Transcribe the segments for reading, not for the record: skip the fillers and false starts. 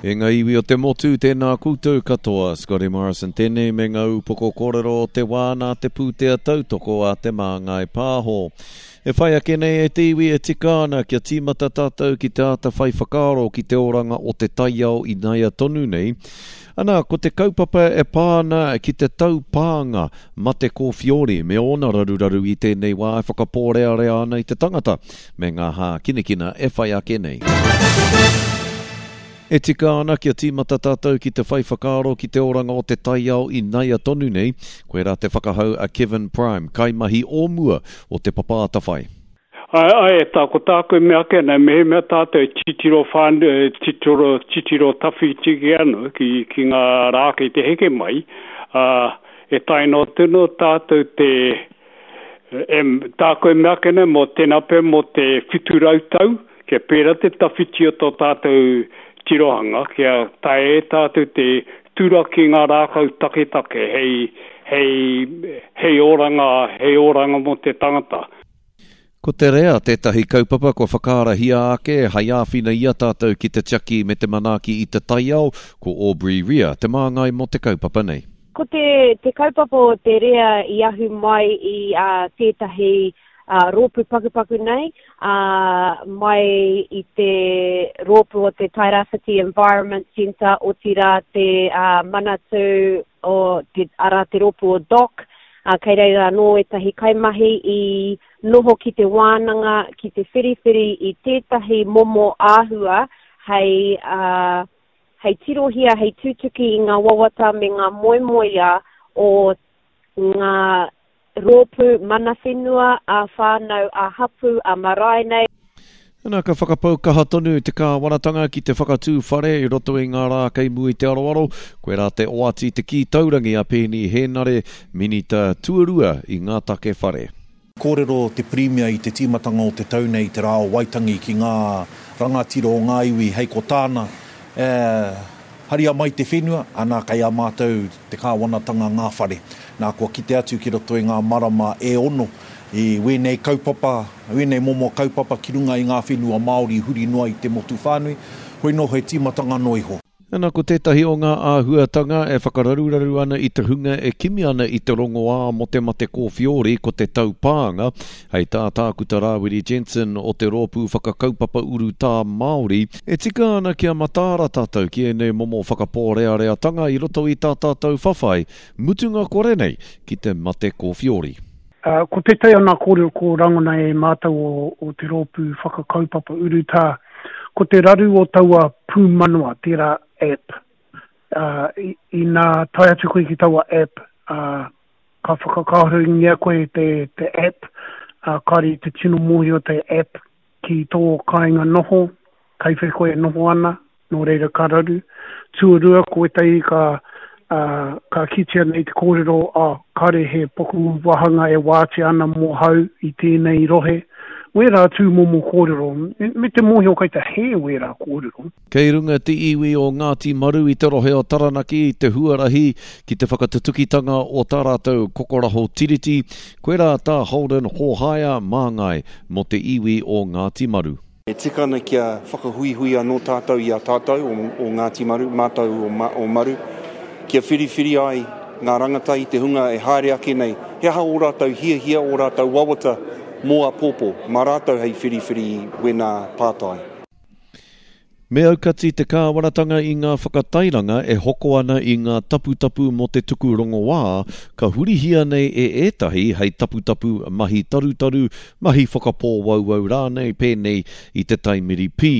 E ngā iwi o te motu, tēnā koutou katoa. Scotty Morrison tēnei me ngā upoko kōrero o te wā nā te pūtea tautoko a Te Māngai Pāho. E whai ake nei e te iwi e tika ana kia tīmata tātou ki te āta whai whakaaro ki te oranga o te taiao inaia tonu nei. Ana, ko te kaupapa e pā ana ki te taupānga mate kōwhiori me ōna raruraru i tēnei wā e whakapōrearea ana i te tangata me ngā hākinakina e whai ake nei. E tika ana kia tīmata tātou ki te whai whakaaro ki te oranga o te taiao inaia tonu nei, koirā te whakahau a Kevin Prime, kaimahi o mua o Te Papa Atawhai. Āe, āe, e tā, ko tāku e mea ake ana, mehemea tātou e titiro whānui, e titiro, titiro tawhiti ki ana, ki, ki ngā rā kei te heke mai, ā, e tae noa tonu tātou te, e, tāku e mea ake nei mō tēnā pea mō te 700 tau, kia pērā te tawhiti o tō tātou tirohanga, kia taea e tātou te turaki ngā rākau taketake hei, hei, hei oranga, hei oranga mō te tangata. Ko te rea tētahi kaupapa kua whakaarahia ake hai āwhina i a tātou ki te tiaki me te manaaki i te taiao, ko Aubrey Rea te māngai mō te kaupapa nei. Ko te te kaupapa o te rea i ahu mai i a tētahi rōpū pakupaku nei, ā, mai i te rōpū o te Tairāwhiti Environment Centre, otirā te Manatū o te, arā te rōpū o DOC, ā, kei reira anō ētahi kaimahi i noho ki te wānanga, ki te whiriwhiri i tētahi momo āhua hei, ā, hei tirohia, hei tutuki i ngā wawata me ngā moemoeā o ngā rōpū mana whenua, ā-whānau, ā-hapū, ā-marae nei. Nā, ka whakapau kaha tonu te kāwanatanga ki te whakatū whare i roto i ngā rā kei mua i te aroaro, koirā te oati te kī taurangi a Peeni Hēnare, Minita Tuarua i ngā take whare. Kōrero te Pirimia i te tīmatanga o te tau nei i te Rā o Waitangi ki ngā rangatira o ngā iwi hei ko tāna, e, haria mai te whenua, ana kei a mātou te kāwanatanga ngā whare. Nā, kua kite atu ki roto i ngā marama e ono i wēnei kaupapa, wēnei momo kaupapa ki runga i ngā whenua Māori huri noa i te motu whānui, hoi nō he tīmatanga noa iho. Ana, ko tētahi o ngā āhuatanga e whakararuraru ana i te hunga e kimi ana i te rongoā mō te mate kōwhiori ko te taupānga, hei tā Tākuta Rāwiri Jensen o te Rōpū Whakakaupapa Urutā Māori, e tika ana kia mataara tātou ki ēnei momo whakapōreareatanga i roto i tā tātou whawhai mutunga kore nei ki te mate kōwhiori. Ko tētahi o ngā kōrero ko rangona e mātou o te rōpū whakakaupapa urutā, ko te raru o taua pūmanawa, tērā app. Inā tae atu koe ki taua app, ka whakakāhorengia koe e te app, kāore i te tino mōhio te app ki tō kāinga noho, kei whea koe e noho ana, nō reira ka raru. Tuarua, ko ētahi ka, ā, ka kitea nei te kōrero, ā, kāre he paku wāhanga e wātea ana mō hau i tēnei rohe. Wērā tūmomo kōrero, me, me te mōhio kei te hē wērā kōrero. Kei runga te iwi o Ngāti Maru i te rohe o Taranaki i te huarahi ki te whakatutukitanga o tā rātou kokoraho tiriti, koirā tā Holden Hōhaia māngai mō te iwi o Ngāti Maru. E tika ana kia whakahuihui anō tātou i a tātou o Ngāti Maru, mātou o Maru, kia whiriwhiri ai ngā rangatahi, te hunga e haere ake nei, he aha ō rātou hiahia, ō rātou wawata mō āpōpō, mā rātou hei whiriwhiri i wēnā pātai. Me aukati te kāwanatanga i ngā whakatairanga e hoko ana i ngā taputapu mō te tuku rongoā, ka hurihia nei e ētahi hei taputapu mahi tarutaru, mahi whakapōwauwau rānei pēnei i te taimiri pī.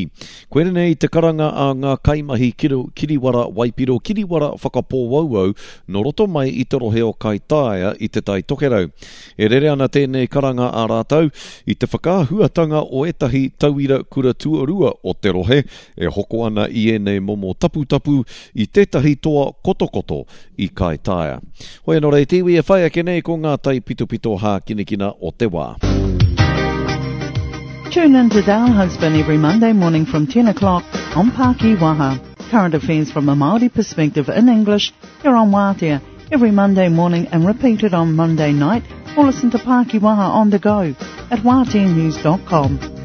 Koinei te karanga a ngā kaimahi kiriwara waipiro, kiriwara whakapōwauwau nō roto mai i te rohe o Kaitaia i Te Tai Tokerau. E rere ana tēnei karanga a rātou i te whakaahuatanga o ētahi tauira kura tuarua o te rohe e hoko ana i ēnei momo taputapu i tētahi toa kotokoto i Kaitaia. Hoi anō rei te iwi e whai ake nei ko ngā taipitopito hākinakina o te wā. Tune in to Dale Husband every Monday morning from 10 o'clock on Pākī Waha. Current affairs from a Māori perspective in English here on Wātea every Monday morning and repeated on Monday night or listen to Pākī Waha on the go at wāteanews.com.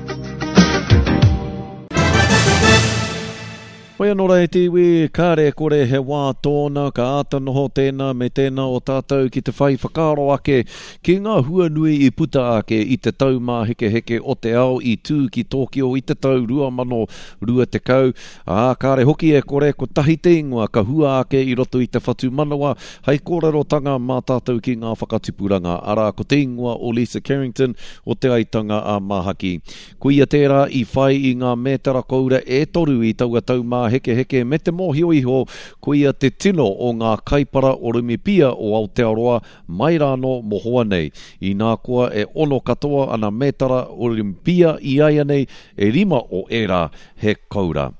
Whai anō rā e te iwi, kāre e kore he wā tōna ka āta noho tēnā me tēnā o tātou ki te whai whakaaro ake ki ngā hua nui i puta ake i te Taumāhekeheke o te Ao i tū ki Tōkio i te tau 2020, ā, kāre hoki e kore kotahi te ingoa ka hua ake i roto i te whatumanawa hei kōrerotanga mā tātou ki ngā whakatipuranga, arā, ko te ingoa o Lisa Carrington o Te Aitanga a Māhaki. Koia tērā i whai i ngā mētara koura e toru i taua taumāhekeheke me te mōhio iho koia te tino o ngā kaipara Orumipia o Aotearoa mai rānō mohoa nei. Inā koa e ono katoa ana mētara Olympia iaianei, e rima o ērā he koura.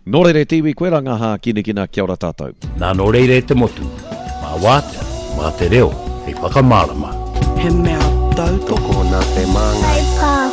Nō reira e te iwi, koirā ngā hākinakina, kia ora tātou. Nā nō reira e te motu, mā wātea, mā te reo hei whakamārama. He mea tautoko. Tokona te māngai.